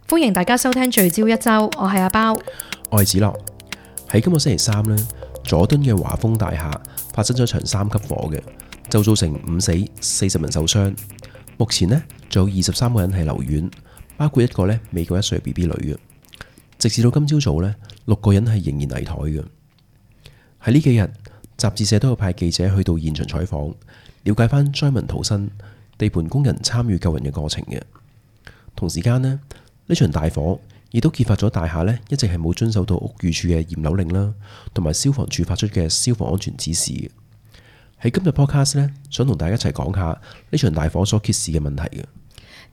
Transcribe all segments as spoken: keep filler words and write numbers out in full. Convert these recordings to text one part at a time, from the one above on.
歡迎大家收聽聚焦一周，我係阿包，我係子樂。喺今個星期三呢，佐敦嘅華豐大廈發生咗場三級火嘅，就造成五死四十人受傷。目前呢，仲有二十三個人係留院，包括一個呢未夠一歲 B B 女嘅。直至到今朝早呢，六個人係仍然危殆嘅。喺呢幾日，雜誌社都有派記者去到現場採訪，了解翻災民逃生、地盤工人參與救人嘅過程嘅。同時間呢，呢場大火亦都揭發咗大廈呢一直係冇遵守到屋宇署嘅驗樓令啦，同埋消防處發出嘅消防安全指示嘅。喺今日 podcast 呢，想同大家一齊講下呢場大火所揭示嘅問題嘅。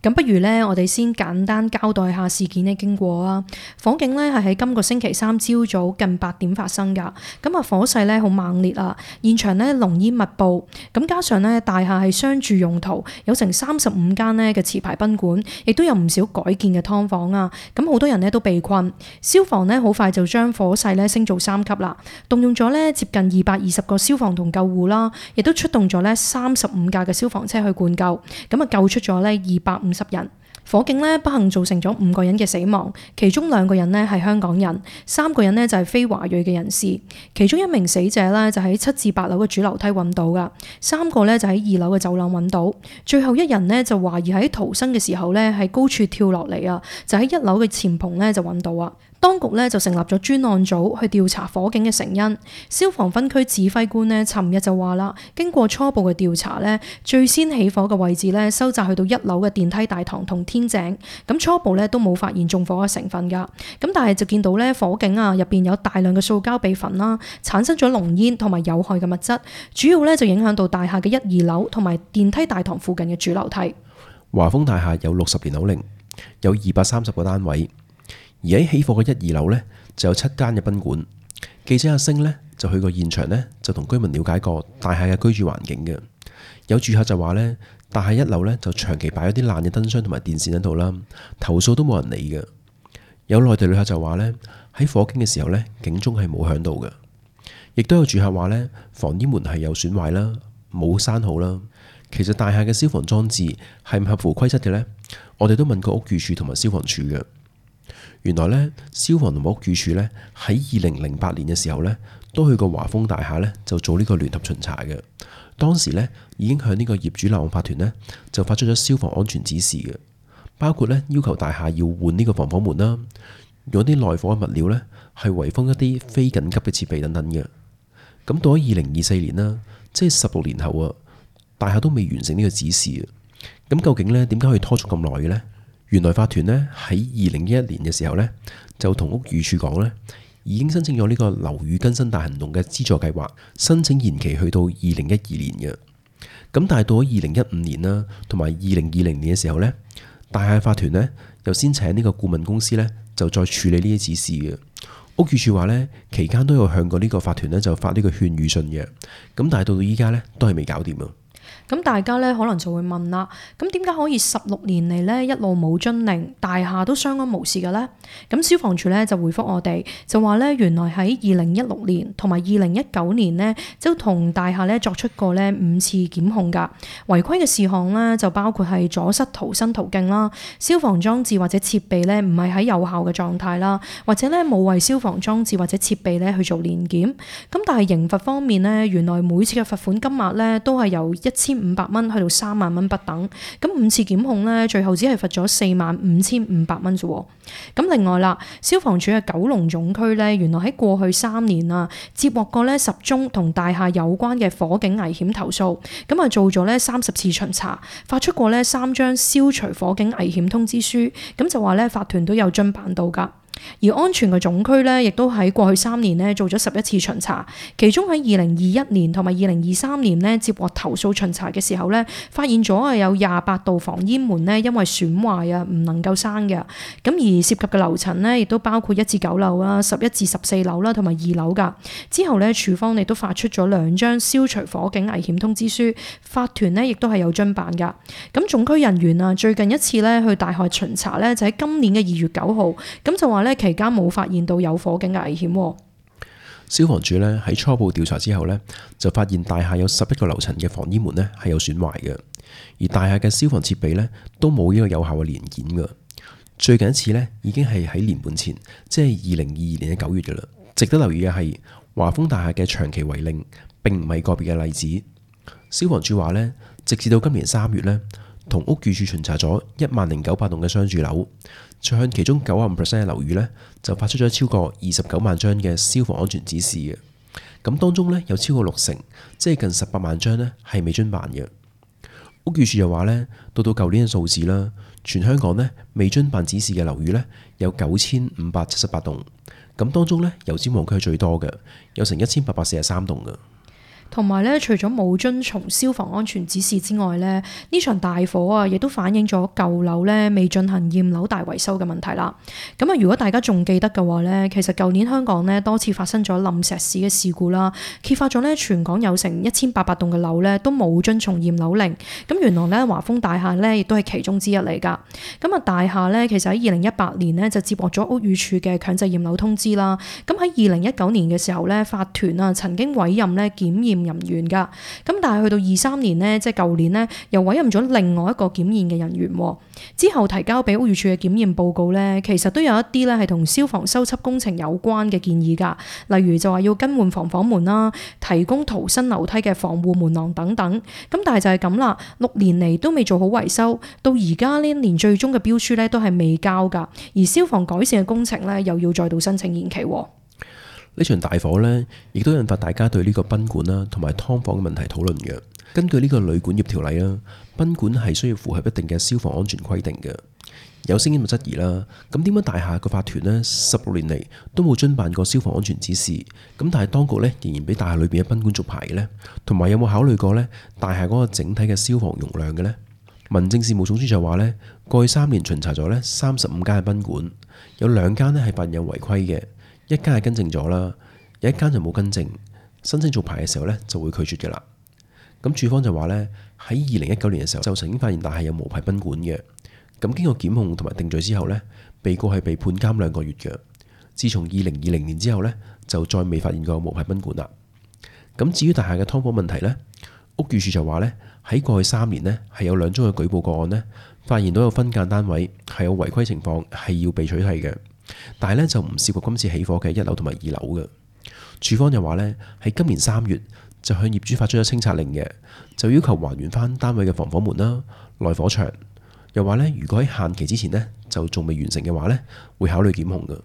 咁不如呢，我哋先簡單交代下事件嘅經過啊。火警呢係喺今個星期三朝早近八點發生噶。咁啊，火勢呢好猛烈啊，現場呢濃煙密布。咁加上呢，大廈係商住用途，有成三十五間呢嘅持牌賓館，亦都有唔少改建嘅劏房啊。咁好多人呢都被困。消防呢好快就將火勢呢升做三級啦，動用咗呢接近二百二十個消防同救護啦，亦都出動咗呢三十五架嘅消防車去灌救。咁啊，救出咗呢二百五十人。火警呢不幸造成咗五個人嘅死亡，其中兩個人呢係香港人，三個人呢就係非華裔嘅人士。其中一名死者呢就喺七至八樓嘅主樓梯揾到噶，三個呢就喺二樓嘅走廊揾到，最後一人呢就懷疑喺逃生嘅時候呢喺高處跳落嚟啊，就喺一樓嘅前棚呢就揾到啊。當局呢就成立咗專案組去調查火警嘅成因。消防分區指揮官呢尋日就話啦，經過初步嘅調查呢，最先起火嘅位置呢收窄去到一樓嘅電梯大堂同天井，咁初步呢都冇發現縱火嘅成分噶。咁但係就見到呢火警啊入邊有大量嘅塑膠被焚啦，產生咗濃煙同埋有害嘅物質，主要呢就影響到大廈嘅一二樓同埋電梯大堂附近嘅主樓梯。華豐大廈有六十年樓齡，有二百三十個單位。而喺起火嘅一二樓呢，就有七間嘅賓館。記者阿星呢，就去過現場呢，就同居民了解過大廈嘅居住環境嘅。有住客就話呢，大廈一樓呢，就長期擺咗啲爛嘅燈箱同埋電線喺度啦，投訴都冇人理嘅。有內地旅客就話呢，喺火警嘅時候呢，警鐘係冇響到嘅。亦都有住客話呢，防煙門係有損壞啦，冇閂好啦。其實大廈嘅消防裝置係唔合乎規則嘅呢？我哋都問過屋宇署同埋消防處嘅。原來呢，消防同屋宇署呢，喺二零零八年嘅時候呢，都去過華豐大廈呢，就做呢個聯合巡查嘅。當時呢，已經向呢個業主立案法團呢，就發出咗消防安全指示嘅，包括呢，要求大廈要換呢個防火門啦，用啲內火嘅物料呢，係圍封一啲非緊急嘅設備等等嘅。咁到咗二零二四年啦，即係十六年後啊，大廈都未完成呢個指示啊。咁究竟呢，點解可以拖咗咁耐嘅呢？原來法團呢，喺二零一一年嘅時候呢，就同屋宇署講呢，已經申請咗呢個樓宇更新大行動嘅資助計劃，申請延期去到二零一二年嘅。咁但係到咗二零一五年啦，同埋二零二零年嘅時候呢，大廈法團呢，又先請呢個顧問公司呢，就再處理呢啲指示嘅。屋宇署話呢，期間都有向過呢個法團呢，就發呢個勸喻信嘅。咁但係到到依家呢，都係未搞掂啊。咁大家咧可能就會問啦，咁點解可以十六年嚟咧一路冇遵令，大廈都相安無事嘅咧？咁消防處咧就回覆我哋，就話咧原來喺二零一六年同埋二零一九年呢，就同大廈咧作出過咧五次檢控噶。違規嘅事項咧就包括係阻塞逃生途徑啦，消防裝置或者設備咧唔係喺有效嘅狀態啦，或者咧冇為消防裝置或者設備咧去做年檢。咁但係刑罰方面呢，原來每次嘅罰款金額咧都係由一千五百蚊去到三萬蚊不等，咁五次檢控呢，最後只係罰咗四萬五千五百蚊啫。咁另外啦，消防處嘅九龍總區呢，原來喺過去三年啊，接獲過呢十宗同大廈有關嘅火警危險投訴，咁啊做咗呢三十次巡查，發出過呢三張消除火警危險通知書，咁就話呢法團都有遵辦到噶。而安全嘅總區呢，亦都喺過去三年呢做咗十一次巡查，其中喺二零二一年同埋二零二三年呢接獲投訴巡查嘅時候呢，發現咗係有廿八道防煙門呢因為損壞啊唔能夠閂嘅。咁而涉及嘅樓層呢，亦都包括一至九樓啦、十一至十四樓啦同埋二樓噶。之後呢，署方亦都發出咗兩張消除火警危險通知書，法團呢亦都係有遵辦噶。咁總區人員啊，最近一次呢去大廈巡查呢，就喺今年嘅二月九號，咁就話呢。期間冇發現到有火警嘅危險。消防處呢喺初步調查之後呢，就發現大廈有十一個樓層嘅防煙門呢係有損壞嘅，而大廈嘅消防設備呢都冇呢個有效嘅年檢嘅。最近一次呢已經係喺年半前，即係二零二二年嘅九月㗎啦。值得留意嘅係華豐大廈嘅長期違令並唔係個別嘅例子。消防處話呢，直至到今年三月呢，同屋宇署巡查咗一萬零九百棟嘅商住樓，再向其中九十五 percent 嘅樓宇呢，就發出咗超過二十九萬張嘅消防安全指示嘅。咁當中呢，有超過六成，即係近十八萬張呢，係未遵辦嘅。屋宇署又話呢，到到舊年嘅數字啦，全香港呢未遵辦指示嘅樓宇呢，有九千五百七十八棟，咁當中呢，油尖旺區係最多嘅，有成一千八百四十三棟嘅。同埋咧，除咗冇遵從消防安全指示之外咧，呢場大火啊，亦都反映咗舊樓咧未進行驗樓大維修嘅問題啦。咁啊，如果大家仲記得嘅話咧，其實舊年香港咧多次發生咗冧石屎嘅事故啦，揭發咗咧全港有成一千八百棟嘅樓咧都冇遵從驗樓令。咁原來咧華豐大廈咧亦都係其中之一嚟㗎。咁啊，大廈咧其實喺二零一八年咧就接獲咗屋宇署嘅強制驗樓通知啦。咁喺二零一九年嘅時候咧，法團啊曾經委任咧檢驗人員噶，咁但係去到二三年呢，即係舊年呢，又委任咗另外一個檢驗嘅人員，之後提交俾屋宇署嘅檢驗報告呢，其實都有一啲咧係同消防修葺工程有關嘅建議噶，例如就話要更換防火門啦，提供逃生樓梯嘅防護門廊等等。咁但係就係咁啦，六年嚟都未做好維修，到而家呢一年最終嘅標書呢都係未交噶，而消防改善嘅工程呢，又要再度申請延期。呢場大火呢，亦都引發大家對呢個賓館啦同埋劏房嘅問題討論嘅。根據呢個旅館業條例啦，賓館係需要符合一定嘅消防安全規定嘅。有聲音就質疑啦，咁點解大廈個法團呢十六年嚟都冇遵辦過消防安全指示？咁但係當局呢仍然俾大廈裏邊嘅賓館續牌嘅呢？同埋有冇考慮過呢大廈嗰個整體嘅消防容量嘅呢？民政事務總署就話呢，過去三年巡查咗呢三十五間嘅賓館，有兩間呢係發現有違規嘅。一間係更正咗啦，有一間就冇更正，申請續牌嘅時候呢就會拒絕嘅啦。咁署方就話呢，喺二零一九年嘅時候就曾經發現大廈有無牌賓館嘅。咁經過檢控同埋定罪之後呢，被告係被判監兩個月嘅。自從二零二零年之後呢，就再未發現過無牌賓館啦。咁至於大廈嘅劏房問題呢，屋宇署就話呢，喺過去三年呢係有兩宗嘅舉報個案呢，發現到有分間單位係有違規情況，係要被取締嘅。但係咧就唔涉及今次起火嘅一樓同埋二樓嘅。署方又話咧喺今年三月就向業主發出咗清拆令嘅，就要求還原翻單位嘅防火門啦、內火牆。又話咧如果喺限期之前呢，就仲未完成嘅話咧，會考慮檢控嘅。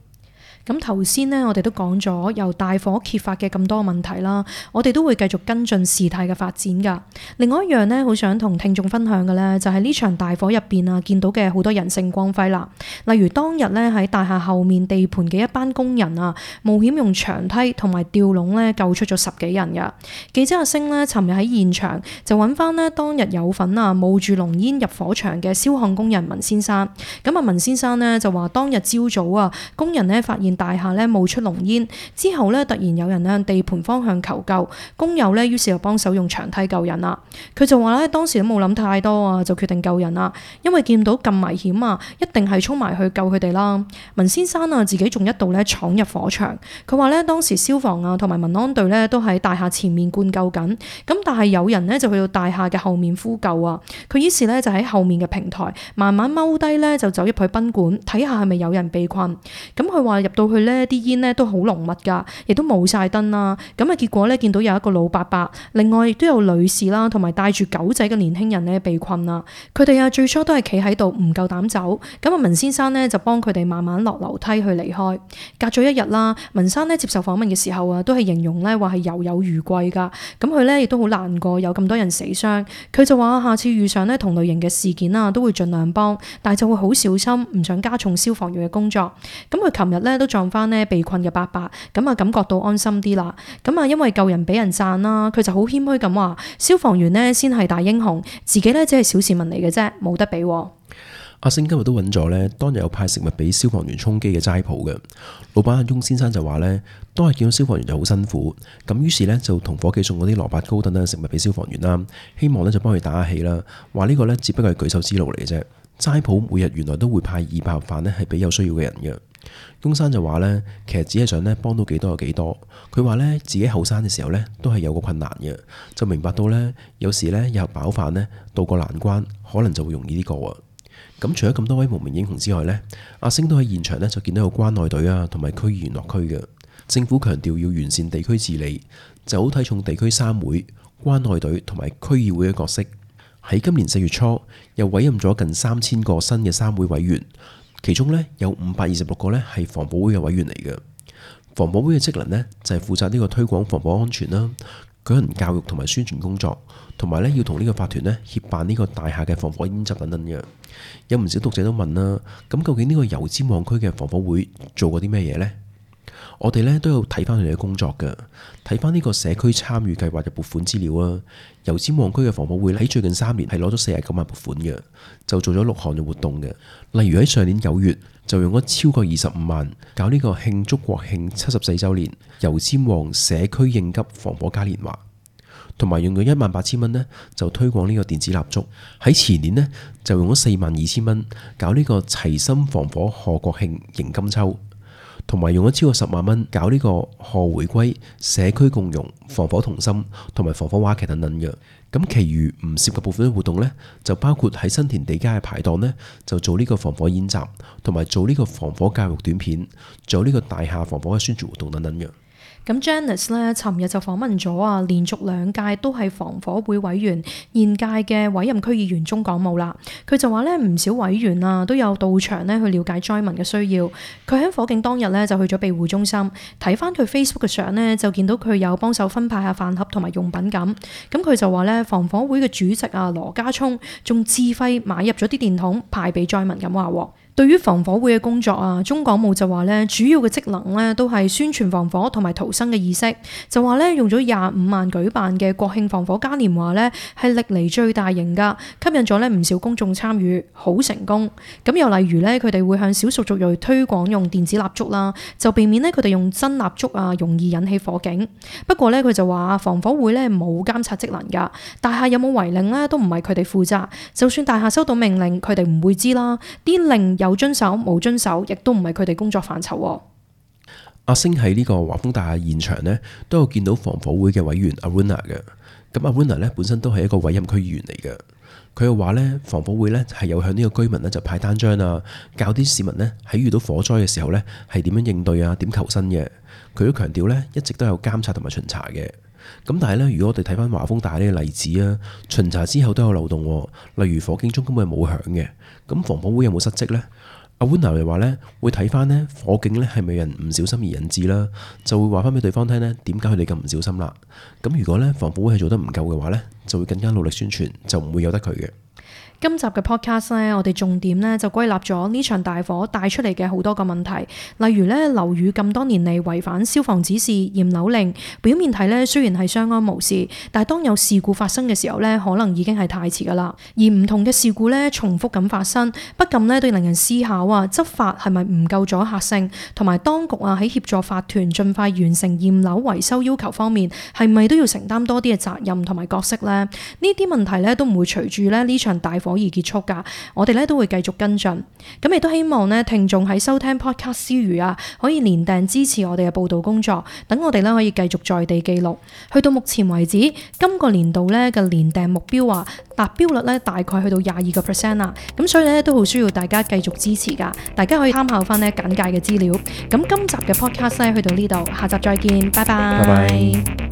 咁頭先呢，我哋都講咗由大火揭發嘅咁多問題啦，我哋都會繼續跟進事態嘅發展噶。另外一樣呢，好想同聽眾分享嘅呢，就係呢場大火入邊啊，見到嘅好多人性光輝啦。例如當日呢，喺大廈後面地盤嘅一班工人啊，冒險用長梯同埋吊籠呢救出咗十幾人噶。記者阿星呢，尋日喺現場就揾翻呢當日有份啊冒住濃煙入火場嘅燒焊工人文先生。咁啊文先生呢，就話當日朝早啊，工人呢發現大廈咧冒出濃煙之後咧，突然有人向地盤方向求救，工友咧於是就幫手用長梯救人啦。佢就話咧當時都冇諗太多啊，就決定救人啦，因為見到咁危險啊，一定係衝埋去救佢哋啦。文先生啊自己仲一度咧闖入火場，佢話咧當時消防啊同埋民安隊咧都喺大廈前面灌救緊，咁但係有人咧就去到大廈嘅後面呼救啊。佢於是咧就喺後面嘅平台慢慢踎低咧就走入去賓館睇下係咪有人被困。咁佢話入到去呢啲煙呢都好濃密噶，亦都冇晒燈啦。咁啊，結果呢，見到有一個老伯伯，另外亦都有女士啦，同埋帶住狗仔嘅年輕人呢被困啦。佢哋啊最初都係企喺度唔夠膽走，咁啊文先生呢就幫佢哋慢慢落樓梯去離開。隔咗一日啦，文生呢接受訪問嘅時候啊，都係形容呢話係猶有餘悸噶。咁佢呢亦都好難過有咁多人死傷。佢就話下次遇上呢同類型嘅事件啊，都會盡量幫，但係就會好小心，唔想加重消防員嘅工作。咁佢琴日呢都撞翻呢被困嘅伯伯，咁啊感覺到安心啲啦。咁啊因為救人俾人讚啦，佢就好謙虛咁話，消防員呢先係大英雄，自己呢只係小市民嚟嘅啫，冇得比。阿星今日都揾咗呢當日有派食物俾消防員充飢嘅齋鋪嘅老闆阿翁先生就話呢，當日見到消防員就好辛苦，咁於是呢就同伙計送嗰啲蘿蔔糕等等嘅食物俾消防員啦，希望呢就幫佢打下氣啦。話呢個呢只不過係舉手之勞嚟嘅啫。齋鋪每日原來都會派二百盒飯呢係俾有需要嘅人嘅。翁生就話呢，其實只係想呢幫到幾多有幾多。佢話呢，自己後生嘅時候呢都係有個困難嘅，就明白到呢，有時呢有飽飯呢渡過難關可能就會容易啲過啊。咁除咗咁多位無名英雄之外呢，阿星都喺現場呢就見到有關愛隊啊同埋區議員落區嘅。政府強調要完善地區治理，就好睇重地區三會、關愛隊同埋區議會嘅角色。喺今年四月初，又委任咗近三千個新嘅三會委員，其中呢有五百二十六個呢係防保會嘅委員嚟嘅。防保會嘅職能呢，就係負責呢個推廣防火安全啦，舉行教育同埋宣傳工作，同埋呢要同呢個法團呢協辦呢個大廈嘅防火演習等等嘅。有唔少讀者都問啦，咁究竟呢個油尖旺區嘅防火會做過啲咩嘢呢？我哋呢都有睇翻佢哋嘅工作嘅，睇翻呢個社區參與計劃嘅撥款資料啊。油尖旺區嘅防火會喺最近三年係攞咗四十九萬撥款嘅，就做咗六項嘅活動嘅。例如喺上年九月就用咗超過二十五萬搞呢個慶祝國慶七十四週年油尖旺社區應急防火嘉年華，同埋用咗一萬八千蚊呢就推廣呢個電子蠟燭。喺前年呢，就用咗四萬二千蚊搞呢個齊心防火賀國慶迎金秋，同埋用咗超過十萬蚊搞呢個賀回歸社區共融防火同心同埋防火話劇等等嘅。咁其餘唔涉及部分嘅活動呢，就包括喺新田地街嘅排檔呢，就做呢個防火演習，同埋做呢個防火教育短片，做呢個大廈防火嘅宣傳活動等等嘅。咁 Janice 咧，尋日就訪問咗啊，連續兩屆都係防火會委員，現屆嘅委任區議員鍾港武啦。佢就話咧，唔少委員啊都有到場咧去了解災民嘅需要。佢喺火警當日咧就去咗庇護中心，睇翻佢 Facebook 嘅相咧，就見到佢有幫手分派下飯盒同埋用品咁。咁佢就話咧，防火會嘅主席啊羅家聰仲自費買入咗啲電筒派俾災民咁話喎。對於防火會嘅工作啊，鍾港武就話咧，主要嘅職能咧都係宣傳防火同埋逃生嘅意識，就話咧用咗廿五萬舉辦嘅國慶防火嘉年華咧係歷嚟最大型㗎，吸引咗咧唔少公眾參與，好成功。咁又例如咧，佢哋會向少數族裔推廣用電子蠟燭啦，就避免咧佢哋用真蠟燭啊容易引起火警。不過咧佢就話防火會咧冇監察職能㗎，大廈有冇違令咧都唔係佢哋負責，就算大廈收到命令，佢哋唔會知啦，啲令有遵守冇遵守，亦都唔係佢哋工作範疇。阿星喺呢個華豐大廈現場呢，都有見到防火會嘅委員阿 Runa 嘅。咁阿 Runa 呢本身都係一個委任區議員嚟嘅。佢又話呢，防火會呢係有向呢個居民呢就派單張啊，教啲市民呢喺遇到火災嘅時候呢係點樣應對啊，點求生嘅。佢都強調呢，一直都有監察同埋巡查嘅。咁但係呢，如果我哋睇翻華豐大廈呢個例子啊，巡查之後都有漏洞，例如火警鐘根本係冇響嘅。咁防火會有冇失職呢？阿 Wuna 又話呢，會睇翻呢火警呢係咪人唔小心而引致啦，就會話翻俾對方聽呢點解佢哋咁唔小心啦。咁如果呢防火會係做得唔夠嘅話呢，就會更加努力宣傳，就唔會有得佢嘅。今集嘅 podcast 咧，我哋重點咧就歸納咗呢場大火帶出嚟嘅好多個問題，例如咧樓宇咁多年嚟違反消防指示、驗樓令，表面睇咧雖然係相安無事，但係當有事故發生嘅時候咧，可能已經係太遲噶啦。而唔同嘅事故咧重複咁發生，不禁咧都令人思考啊，執法係咪唔夠阻嚇性，同埋當局啊喺協助法團盡快完成驗樓維修要求方面，係咪都要承擔多啲嘅責任同埋角色咧？呢啲問題咧都唔會隨住咧呢場大火而結束噶，我哋咧都會繼續跟進，咁亦都希望咧聽眾喺收聽 podcast 之餘啊，可以連訂支持我哋嘅報道工作，等我哋咧可以繼續在地記錄。去到目前為止，今個年度咧嘅連訂目標啊達標率咧大概去到廿二個 percent 啦，咁所以咧都好需要大家繼續支持噶，大家可以參考翻咧簡介嘅資料。咁今集嘅 podcast 咧去到呢度，下集再見，拜拜。拜拜。